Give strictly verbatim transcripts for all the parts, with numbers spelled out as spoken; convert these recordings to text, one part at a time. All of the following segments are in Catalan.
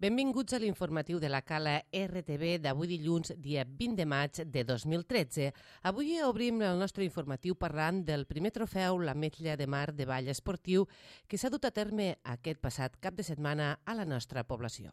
Benvinguts a l'informatiu de la Cala R T V d'avui dilluns, dia vint de maig de dos mil tretze. Avui obrim el nostre informatiu parlant del primer trofeu l'Ametlla de Mar de ball esportiu que s'ha dut a terme aquest passat cap de setmana a la nostra població.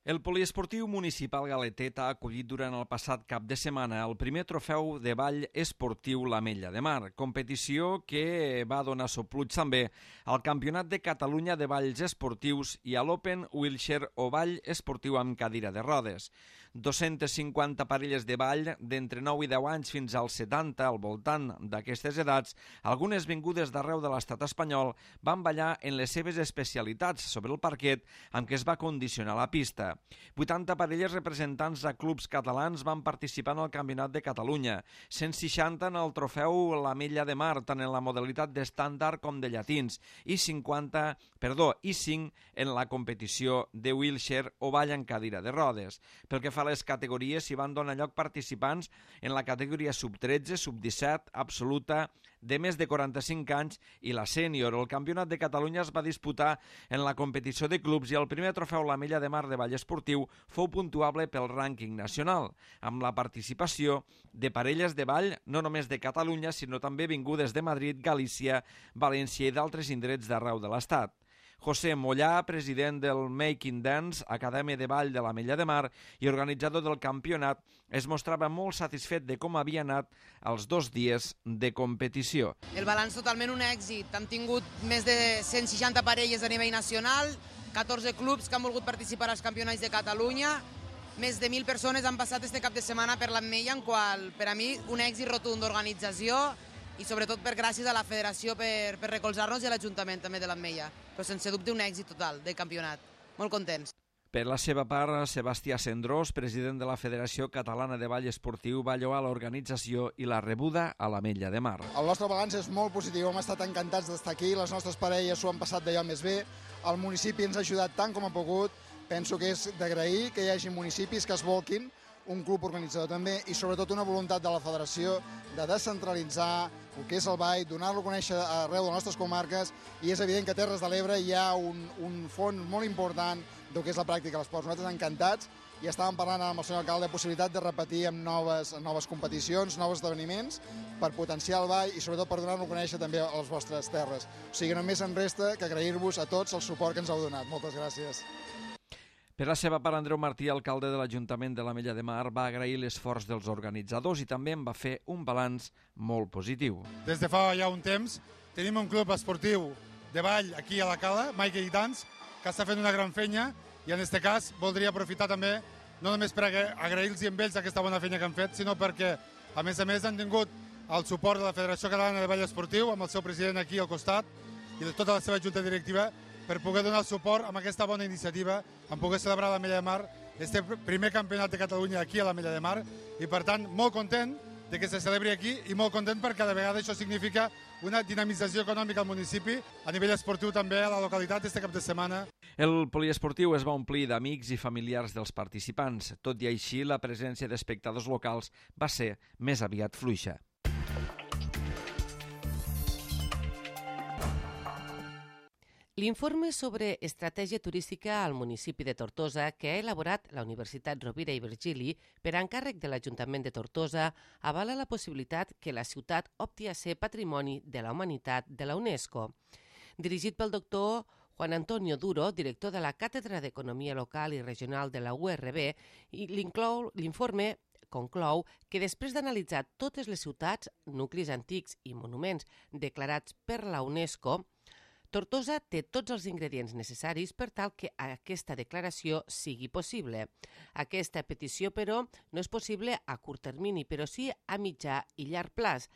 El poliesportiu municipal Galetet ha acollit durant el passat cap de setmana el primer trofeu de ball esportiu l'Ametlla de Mar, competició que va donar sopluig també al Campionat de Catalunya de Balls Esportius i a l'Open Wheelchair o ball esportiu amb cadira de rodes. dues-centes cinquanta parelles de ball d'entre nou i deu anys fins als setanta al voltant d'aquestes edats, algunes vingudes d'arreu de l'estat espanyol, van ballar en les seves especialitats sobre el parquet amb què es va condicionar la pista. vuitanta parelles representants a clubs catalans van participar en el Campionat de Catalunya, cent seixanta en el trofeu l'Ametlla de Mar, tant en la modalitat d'estàndard com de llatins, i cinquanta, perdó, i cinc en la competició de wheelchair o ball en cadira de rodes. Pel que fa a les categories, s'hi van donar lloc participants en la categoria sub tretze, sub disset, absoluta, de més de quaranta-cinc anys i la sènior. El Campionat de Catalunya es va disputar en la competició de clubs i el primer trofeu l'Ametlla de Mar de ball esportiu fou puntuable pel rànquing nacional, amb la participació de parelles de ball no només de Catalunya, sinó també vingudes de Madrid, Galícia, València i d'altres indrets d'arreu de l'Estat. José Mollà, president del Making Dance, Acadèmia de Ball de l'Ametlla de Mar i organitzador del campionat, es mostrava molt satisfet de com havia anat els dos dies de competició. El balanç totalment un èxit. Hem tingut més de cent seixanta parelles a nivell nacional, catorze clubs que han volgut participar als campionats de Catalunya, més de mil persones han passat este cap de setmana per l'Ametlla, en qual, per a mi, un èxit rotund d'organització i sobretot per gràcies a la federació per, per recolzar-nos i a l'Ajuntament també de l'Ametlla. Però sense dubte un èxit total del campionat. Molt contents. Per la seva part, Sebastià Cendrós, president de la Federació Catalana de Ball Esportiu, va lloar l'organització i la rebuda a l'Ametlla de Mar. El nostre balanç és molt positiu, hem estat encantats d'estar aquí, les nostres parelles s'ho han passat d'allò més bé, el municipi ens ha ajudat tant com ha pogut, penso que és d'agrair que hi hagi municipis que es volquin, un club organitzador també, i sobretot una voluntat de la federació de descentralitzar el que és el ball, donar-lo a conèixer arreu de les nostres comarques, i és evident que a Terres de l'Ebre hi ha un, un fons molt important del que és la pràctica de l'esport. Nosaltres encantats, i estàvem parlant amb el senyor alcalde de possibilitat de repetir amb noves, noves competicions, nous esdeveniments, per potenciar el ball i sobretot per donar-lo a conèixer també a les vostres terres. O sigui, només em resta que agrair-vos a tots el suport que ens heu donat. Moltes gràcies. Per la seva part, Andreu Martí, alcalde de l'Ajuntament de l'Ametlla de Mar, va agrair l'esforç dels organitzadors i també en va fer un balanç molt positiu. Des de fa ja un temps tenim un club esportiu de ball aquí a la Cala, Making Dance, que està fent una gran feina, i en aquest cas voldria aprofitar també no només per agrair-los a ells aquesta bona feina que han fet, sinó perquè a més a més han tingut el suport de la Federació Catalana de Ball Esportiu, amb el seu president aquí al costat i de tota la seva junta directiva, per poder donar suport amb aquesta bona iniciativa, en poder celebrar a l'Ametlla de Mar, este primer campionat de Catalunya aquí a l'Ametlla de Mar, i per tant molt content de que se celebri aquí i molt content perquè cada vegada això significa una dinamització econòmica al municipi, a nivell esportiu també a la localitat este cap de setmana. El poliesportiu es va omplir d'amics i familiars dels participants. Tot i així, la presència d'espectadors locals va ser més aviat fluixa. L'informe sobre estratègia turística al municipi de Tortosa que ha elaborat la Universitat Rovira i Virgili per encàrrec de l'Ajuntament de Tortosa avala la possibilitat que la ciutat opti a ser Patrimoni de la Humanitat de la UNESCO. Dirigit pel doctor Juan Antonio Duro, director de la Càtedra d'Economia Local i Regional de la U R B, i l'informe conclou que després d'analitzar totes les ciutats, nuclis antics i monuments declarats per la UNESCO, Tortosa té tots els ingredients necessaris per tal que aquesta declaració sigui possible. Aquesta petició, però, no és possible a curt termini, però sí a mitjà i llarg plaç.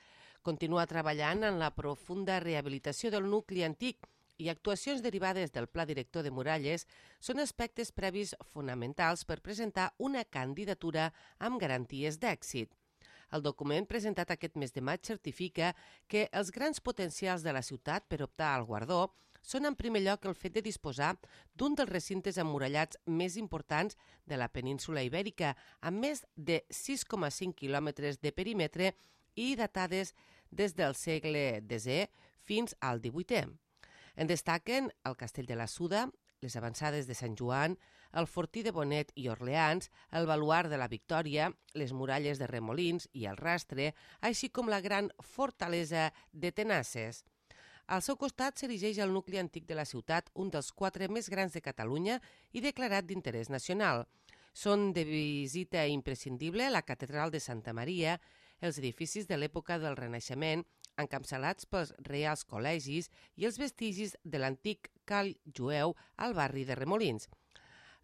Continua treballant en la profunda rehabilitació del nucli antic i actuacions derivades del Pla Director de Muralles són aspectes previs fonamentals per presentar una candidatura amb garanties d'èxit. El document presentat aquest mes de maig certifica que els grans potencials de la ciutat per optar al guardó són en primer lloc el fet de disposar d'un dels recintes emmurallats més importants de la península ibèrica, amb més de sis coma cinc quilòmetres de perímetre i datades des del segle desè fins al divuitè. En destaquen el Castell de la Suda, les avançades de Sant Joan, el Fortí de Bonet i Orleans, el Baluard de la Victòria, les muralles de Remolins i el Rastre, així com la gran fortalesa de Tenasses. Al seu costat s'erigeix el nucli antic de la ciutat, un dels quatre més grans de Catalunya i declarat d'interès nacional. Són de visita imprescindible la Catedral de Santa Maria, els edificis de l'època del Renaixement, encapçalats pels reials col·legis i els vestigis de l'antic call jueu al barri de Remolins.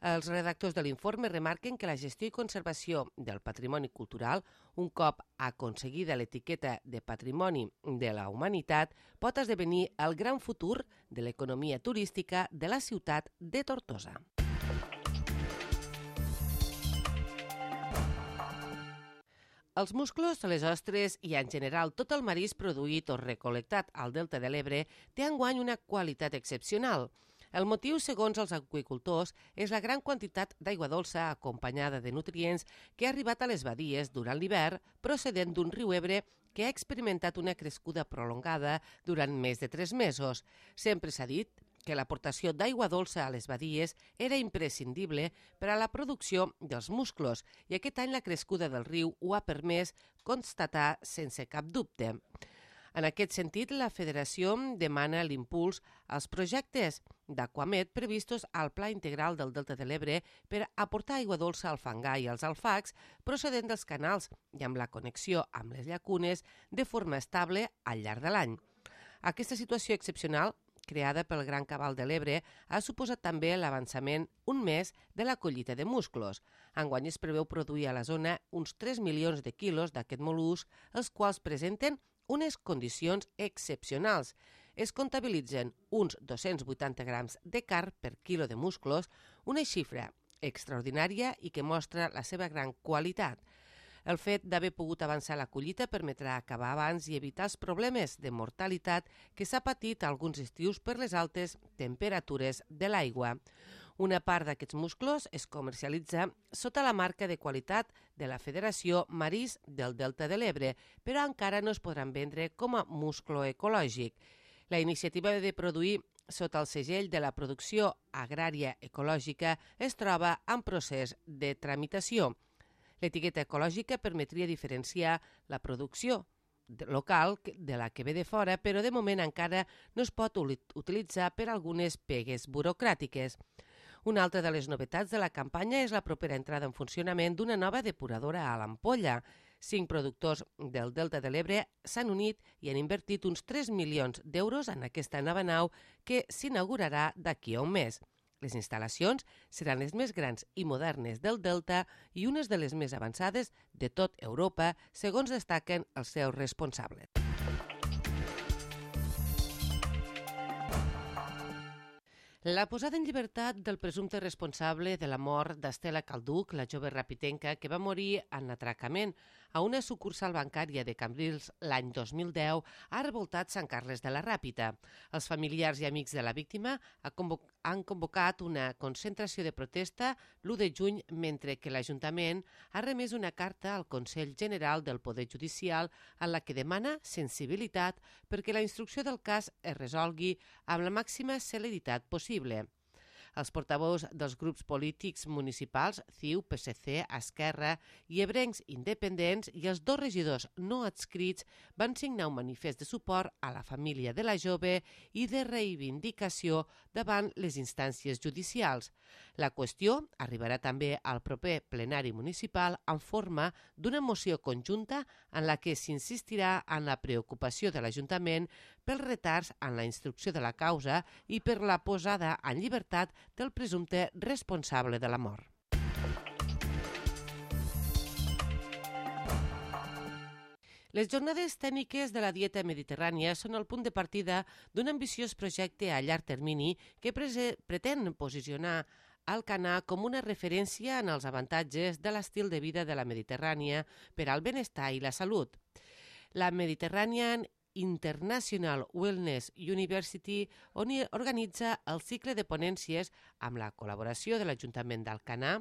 Els redactors de l'informe remarquen que la gestió i conservació del patrimoni cultural, un cop aconseguida l'etiqueta de Patrimoni de la Humanitat, pot esdevenir el gran futur de l'economia turística de la ciutat de Tortosa. Els musclos, les ostres i, en general, tot el marisc produït o recol·lectat al Delta de l'Ebre té enguany una qualitat excepcional. El motiu, segons els aqüicultors, és la gran quantitat d'aigua dolça acompanyada de nutrients que ha arribat a les badies durant l'hivern procedent d'un riu Ebre que ha experimentat una crescuda prolongada durant més de tres mesos. Sempre s'ha dit que l'aportació d'aigua dolça a les badies era imprescindible per a la producció dels musclos i aquest any la crescuda del riu ho ha permès constatar sense cap dubte. En aquest sentit, la Federació demana l'impuls als projectes d'Aquamed previstos al Pla Integral del Delta de l'Ebre per aportar aigua dolça al fangar i als alfacs procedent dels canals i amb la connexió amb les llacunes de forma estable al llarg de l'any. Aquesta situació excepcional, creada pel Gran Cabal de l'Ebre, ha suposat també l'avançament un mes de la collita de musclos. Enguany es preveu produir a la zona uns tres milions de quilos d'aquest mol·lusc, els quals presenten unes condicions excepcionals. Es comptabilitzen uns dos-cents vuitanta grams de carn per quilo de musclos, una xifra extraordinària i que mostra la seva gran qualitat. El fet d'haver pogut avançar la collita permetrà acabar abans i evitar els problemes de mortalitat que s'ha patit alguns estius per les altes temperatures de l'aigua. Una part d'aquests musclos es comercialitza sota la marca de qualitat de la Federació Marisc del Delta de l'Ebre, però encara no es podran vendre com a musclo ecològic. La iniciativa de produir sota el segell de la producció agrària ecològica es troba en procés de tramitació. L'etiqueta ecològica permetria diferenciar la producció local de la que ve de fora, però de moment encara no es pot utilitzar per algunes pegues burocràtiques. Una altra de les novetats de la campanya és la propera entrada en funcionament d'una nova depuradora a l'Ampolla. Cinc productors del Delta de l'Ebre s'han unit i han invertit uns tres milions d'euros en aquesta nova nau que s'inaugurarà d'aquí a un mes. Les instal·lacions seran les més grans i modernes del Delta i unes de les més avançades de tot Europa, segons destaquen els seus responsables. La posada en llibertat del presumpte responsable de la mort d'Estela Calduch, la jove rapitenca que va morir en atracament a una sucursal bancària de Cambrils l'any dos mil deu, ha revoltat Sant Carles de la Ràpita. Els familiars i amics de la víctima han convocat una concentració de protesta l'u de juny, mentre que l'Ajuntament ha remès una carta al Consell General del Poder Judicial en la que demana sensibilitat perquè la instrucció del cas es resolgui amb la màxima celeritat possible. Els portaveus dels grups polítics municipals, C I U, P S C, Esquerra i Ebrencs Independents i els dos regidors no adscrits van signar un manifest de suport a la família de la jove i de reivindicació davant les instàncies judicials. La qüestió arribarà també al proper plenari municipal en forma d'una moció conjunta en la que s'insistirà en la preocupació de l'Ajuntament pels retards en la instrucció de la causa i per la posada en llibertat del presumpte responsable de la mort. Les jornades tècniques de la dieta mediterrània són el punt de partida d'un ambiciós projecte a llarg termini que pretén posicionar Alcanar com una referència en els avantatges de l'estil de vida de la Mediterrània per al benestar i la salut. La Mediterranean International Wellness University organitza el cicle de ponències amb la col·laboració de l'Ajuntament d'Alcanar,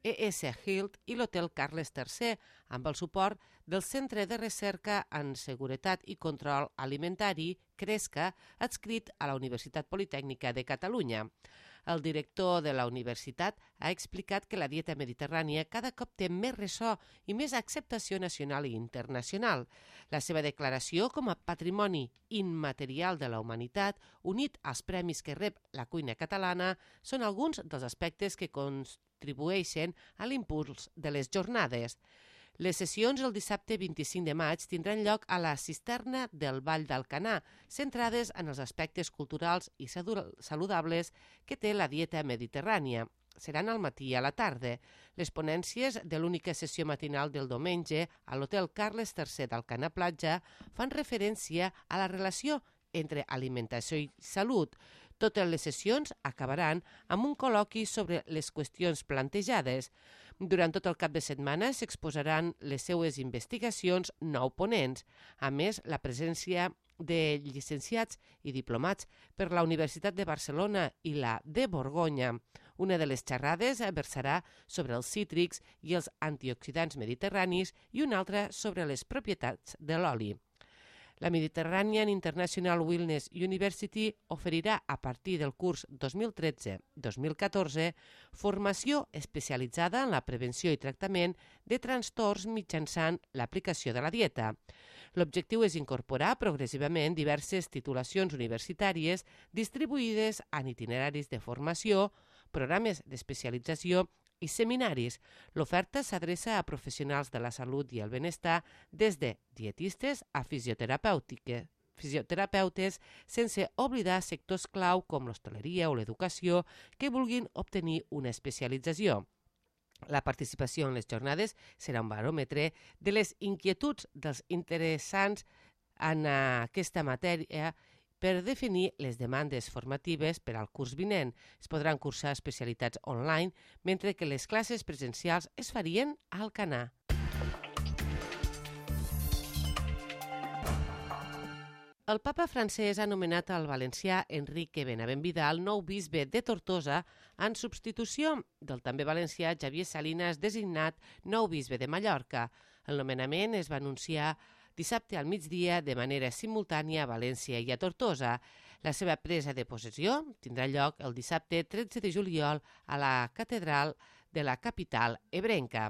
E S Hilt i l'Hotel Carles tercer, amb el suport del Centre de Recerca en Seguretat i Control Alimentari, CRESCA, adscrit a la Universitat Politècnica de Catalunya. El director de la universitat ha explicat que la dieta mediterrània cada cop té més ressò i més acceptació nacional i internacional. La seva declaració com a patrimoni immaterial de la humanitat, unit als premis que rep la cuina catalana, són alguns dels aspectes que contribueixen a l'impuls de les jornades. Les sessions el dissabte vint-i-cinc de maig tindran lloc a la cisterna del Vall d'Alcanar, centrades en els aspectes culturals i saludables que té la dieta mediterrània. Seran al matí i a la tarda. Les ponències de l'única sessió matinal del diumenge a l'Hotel Carles tercer d'Alcanar Platja fan referència a la relació entre alimentació i salut. Totes les sessions acabaran amb un col·loqui sobre les qüestions plantejades. Durant tot el cap de setmana s'exposaran les seues investigacions nou ponents. A més, la presència de llicenciats i diplomats per la Universitat de Barcelona i la de Borgonya. Una de les xerrades versarà sobre els cítrics i els antioxidants mediterranis i una altra sobre les propietats de l'oli. La Mediterranean International Wellness University oferirà a partir del curs dos mil tretze dos mil catorze formació especialitzada en la prevenció i tractament de trastorns mitjançant l'aplicació de la dieta. L'objectiu és incorporar progressivament diverses titulacions universitàries distribuïdes en itineraris de formació, programes d'especialització i seminaris. L'oferta s'adreça a professionals de la salut i el benestar des de dietistes a fisioterapeutes, sense oblidar sectors clau com l'hostaleria o l'educació que vulguin obtenir una especialització. La participació en les jornades serà un baròmetre de les inquietuds dels interessants en aquesta matèria per definir les demandes formatives per al curs vinent. Es podran cursar especialitats online, mentre que les classes presencials es farien a Alcanar. El papa francès ha nomenat el valencià Enrique Benavent Vidal nou bisbe de Tortosa en substitució del també valencià Xavier Salinas, designat nou bisbe de Mallorca. El nomenament es va anunciar dissabte al migdia de manera simultània a València i a Tortosa. La seva presa de possessió tindrà lloc el dissabte tretze de juliol a la catedral de la capital ebrenca.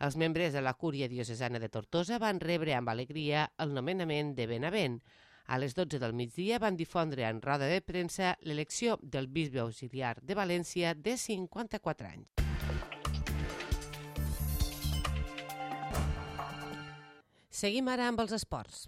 Els membres de la Cúria Diocesana de Tortosa van rebre amb alegria el nomenament de Benavent. A les dotze del migdia van difondre en roda de premsa l'elecció del bisbe auxiliar de València de cinquanta-quatre anys. Seguim ara amb els esports.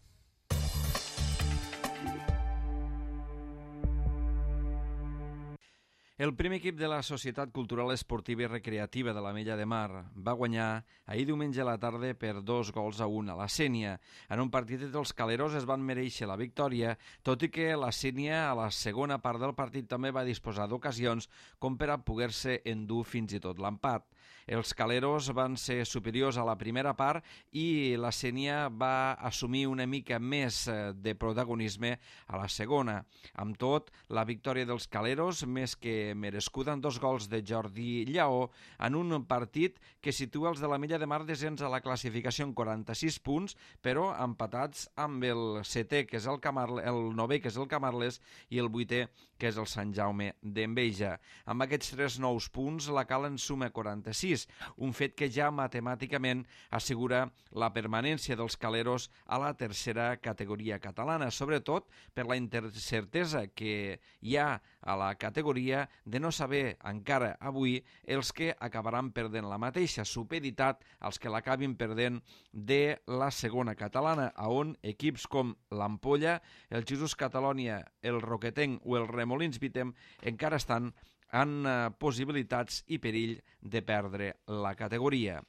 El primer equip de la Societat Cultural Esportiva i Recreativa de l'Ametlla de Mar va guanyar ahir diumenge a la tarda per dos gols a un a la Sénia. En un partit entre els caleros es van mereixer la victòria, tot i que la Sénia a la segona part del partit també va disposar d'ocasions com per a poder-se endur fins i tot l'empat. Els caleros van ser superiors a la primera part i la Sénia va assumir una mica més de protagonisme a la segona. Amb tot, la victòria dels caleros, més que merescuda en dos gols de Jordi Lleó, en un partit que situa els de l'Ametlla de Mar descens a la classificació en quaranta-sis punts, però empatats amb el setè, que és el Camarles, el novè, que és el Camarles, i el vuitè, que és el Sant Jaume d'Enveja. Amb aquests tres nous punts, la Cala en suma quaranta-sis, un fet que ja matemàticament assegura la permanència dels caleros a la tercera categoria catalana, sobretot per la incertesa que hi ha a la categoria de no saber encara avui els que acabaran perdent la mateixa, supeditat als que l'acabin perdent de la segona catalana, on equips com l'Ampolla, el Jesús Catalònia, el Roquetenc o el Remolins Vitem encara estan en possibilitats i perill de perdre la categoria.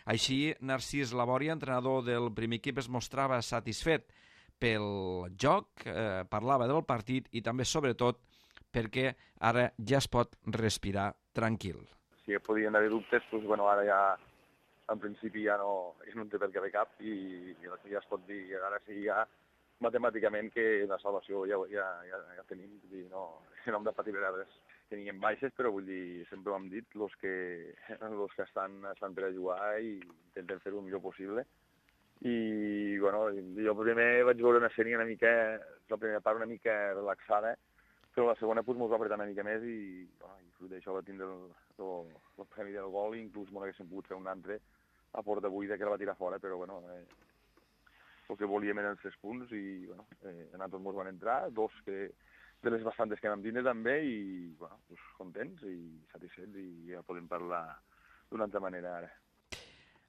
Així, Narcís Labòria, entrenador del primer equip, es mostrava satisfet pel joc, eh, parlava del partit i també, sobretot, perquè ara ja es pot respirar tranquil. Si podien haver dubtes, doncs, bueno, ara ja, en principi, ja no, ja no en té per què haver cap i ja es pot dir, ara sí, ja matemàticament que la salvació ja, ja, ja, ja tenim, i no, no hem de patir res. teníem baixes, però vull dir, sempre ho hem dit, els que, los que estan, estan per a jugar i intentem fer-ho el millor possible. I, bueno, jo primer vaig veure una sèrie una mica, la primera part una mica relaxada, però la segona pues, mos va apretar una mica més i, bueno, i fruit d'això va tindre el, el, el premi del gol i inclús no haguéssim pogut fer un altre a porta buida que la va tirar fora, però bueno, eh, el que volíem eren els tres punts i bueno, eh, a nosaltres mos van entrar, dos que, de les bastantes que vam tindre també i bueno, pues, contents i satisfets i ja podem parlar d'una altra manera ara.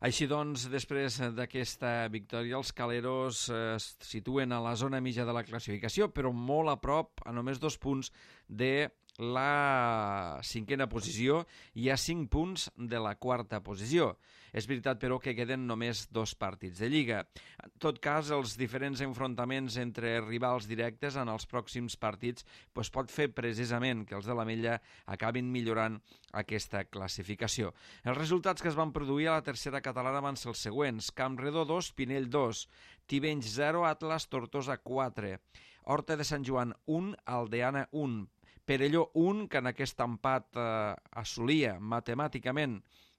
Així doncs, després d'aquesta victòria, els caleros eh, es situen a la zona mitja de la classificació, però molt a prop, a només dos punts de la cinquena posició i a cinc punts de la quarta posició. És veritat, però, que queden només dos partits de Lliga. En tot cas, els diferents enfrontaments entre rivals directes en els pròxims partits pues, pot fer precisament que els de l'Ametlla acabin millorant aquesta classificació. Els resultats que es van produir a la tercera catalana van ser els següents: Campredó dos, Pinell dos, Tivenys zero, Atlas Tortosa quatre, Horta de Sant Joan un, Aldeana un, Perelló un, que en aquest empat eh, assolia matemàticament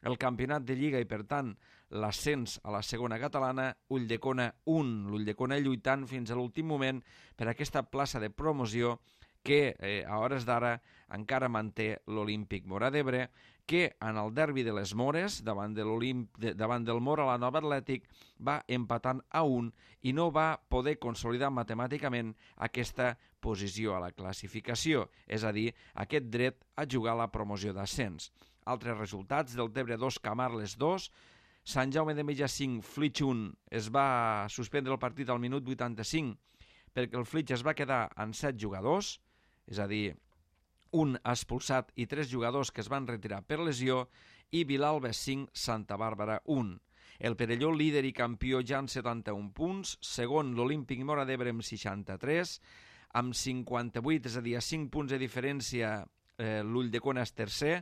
el campionat de Lliga i, per tant, l'ascens a la segona catalana, Ulldecona un, l'Ulldecona lluitant fins a l'últim moment per aquesta plaça de promoció que eh, a hores d'ara encara manté l'Olímpic Móra d'Ebre, que en el derbi de les Mores, davant, de de, davant del Móra la Nova Atlètic, va empatant a un i no va poder consolidar matemàticament aquesta posició a la classificació, és a dir, aquest dret a jugar a la promoció d'ascens. Altres resultats: Deltebre dos, Camarles dos, Sant Jaume d'Enveja cinc, Flix un. Es va suspendre el partit al minut vuitanta-cinc perquè el Flix es va quedar en set jugadors, és a dir, un expulsat i tres jugadors que es van retirar per lesió, i Vilalba cinc, Santa Bàrbara un. El Perelló, líder i campió, ja amb setanta-un punts, segon l'Olímpic Móra d'Ebre amb seixanta-tres, amb cinquanta-vuit, és a dir, a cinc punts de diferència eh, l'Ulldecona és tercer.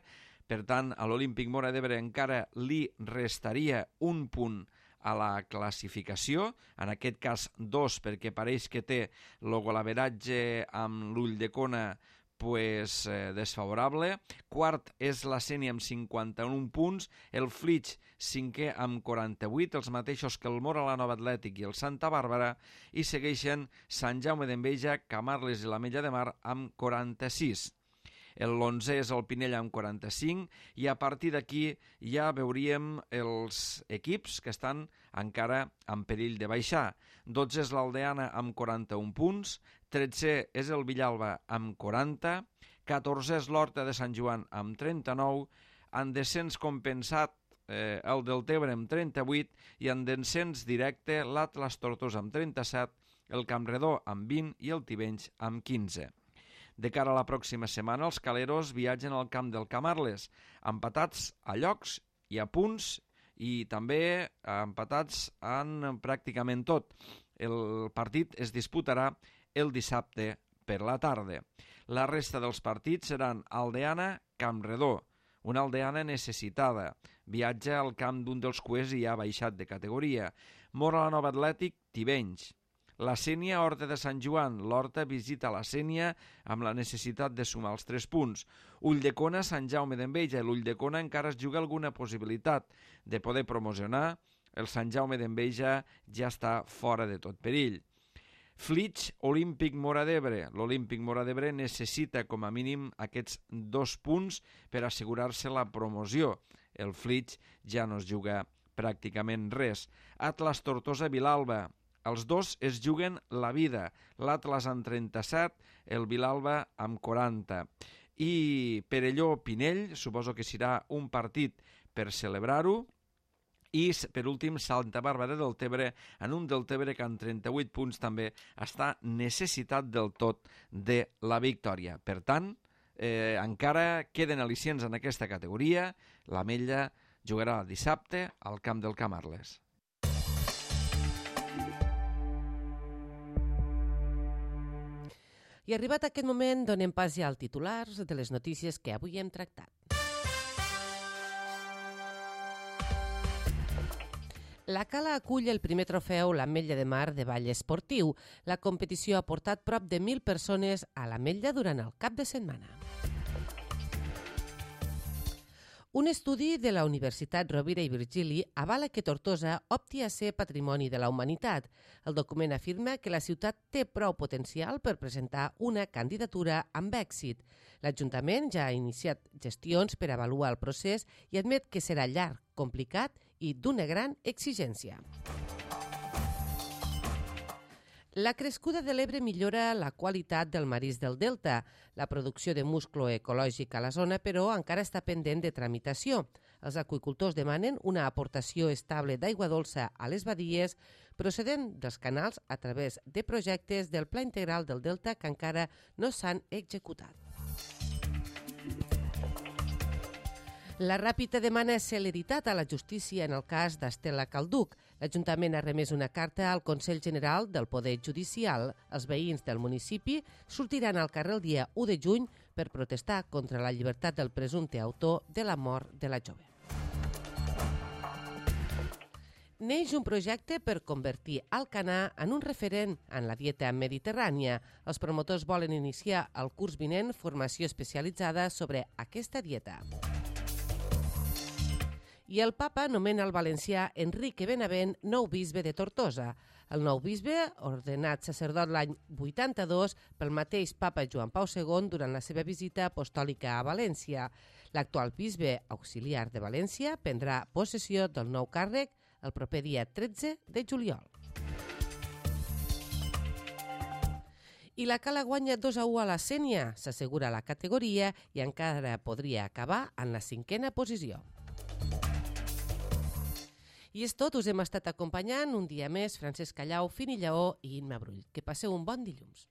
Per tant, a l'Olímpic Móra d'Ebre encara li restaria un punt a la classificació, en aquest cas dos, perquè pareix que té el golaveratge amb l'Ulldecona pues, eh, desfavorable. Quart és la Sénia amb cinquanta-un punts, el Flix cinquè amb quaranta-vuit, els mateixos que el Móra la Nova Atlètic i el Santa Bàrbara, i segueixen Sant Jaume d'Enveja, Camarles i l'Ametlla de Mar amb quaranta-sis. L'onzè és el Pinell amb quaranta-cinc i a partir d'aquí ja veuríem els equips que estan encara en perill de baixar. dotze és l'Aldeana amb quaranta-un punts, tretzè és el Villalba amb quaranta, catorzè és l'Horta de Sant Joan amb trenta-nou, en descens compensat eh, el Deltebre amb trenta-vuit i en descens directe l'Atlas Tortosa amb trenta-set, el Campredó amb vint i el Tivenys amb quinze. De cara a la pròxima setmana, els caleros viatgen al camp del Camarles, empatats a llocs i a punts i també empatats en pràcticament tot. El partit es disputarà el dissabte per la tarda. La resta dels partits seran Aldeana, Campredó, una Aldeana necessitada. Viatja al camp d'un dels cuers i ha baixat de categoria. Móra la Nova Atlètic, Tivenys. La Sénia, Horta de Sant Joan. L'Horta visita la Sénia amb la necessitat de sumar els tres punts. Ulldecona, Sant Jaume d'Enveja. L'Ulldecona encara es juga alguna possibilitat de poder promocionar. El Sant Jaume d'Enveja ja està fora de tot perill. Flix, Olímpic Móra d'Ebre. L'Olímpic Móra d'Ebre necessita com a mínim aquests dos punts per assegurar-se la promoció. El Flix ja no es juga pràcticament res. Atlas Tortosa Vilalba. Els dos es juguen la vida, l'Atlas amb trenta-set, el Vilalba amb quaranta. I Perelló-Pinell, suposo que serà un partit per celebrar-ho. I, per últim, Santa Bàrbara del Tebre, en un del Tebre que amb trenta-vuit punts també està necessitat del tot de la victòria. Per tant, eh, encara queden al·licients en aquesta categoria. L'Ametlla jugarà dissabte al camp del Camarles. I arribat aquest moment, donem pas ja al titulars de les notícies que avui hem tractat. La Cala acull el primer trofeu l'Ametlla de Mar de ball esportiu. La competició ha portat prop de mil persones a l'Ametlla durant el cap de setmana. Un estudi de la Universitat Rovira i Virgili avala que Tortosa opti a ser Patrimoni de la Humanitat. El document afirma que la ciutat té prou potencial per presentar una candidatura amb èxit. L'Ajuntament ja ha iniciat gestions per avaluar el procés i admet que serà llarg, complicat i d'una gran exigència. La crescuda de l'Ebre millora la qualitat del marisc del Delta. La producció de musclo ecològic a la zona, però, encara està pendent de tramitació. Els aqüicultors demanen una aportació estable d'aigua dolça a les badies procedent dels canals a través de projectes del Pla Integral del Delta que encara no s'han executat. La Ràpita demana celeritat a la justícia en el cas d'Estela Calduc. L'Ajuntament ha remès una carta al Consell General del Poder Judicial. Els veïns del municipi sortiran al carrer el dia u de juny per protestar contra la llibertat del presumpte autor de la mort de la jove. Neix un projecte per convertir Alcanar en un referent en la dieta mediterrània. Els promotors volen iniciar el curs vinent formació especialitzada sobre aquesta dieta. I el papa nomena el valencià Enrique Benavent nou bisbe de Tortosa. El nou bisbe, ordenat sacerdot l'any vuitanta-dos pel mateix papa Joan Pau segon durant la seva visita apostòlica a València. L'actual bisbe auxiliar de València prendrà possessió del nou càrrec el proper dia tretze de juliol. I la Cala guanya dos a u a la Sénia, s'assegura la categoria i encara podria acabar en la cinquena posició. I és tot, us hem estat acompanyant un dia més Francesc Callau, Fini Lleó i Imma Brull. Que passeu un bon dilluns.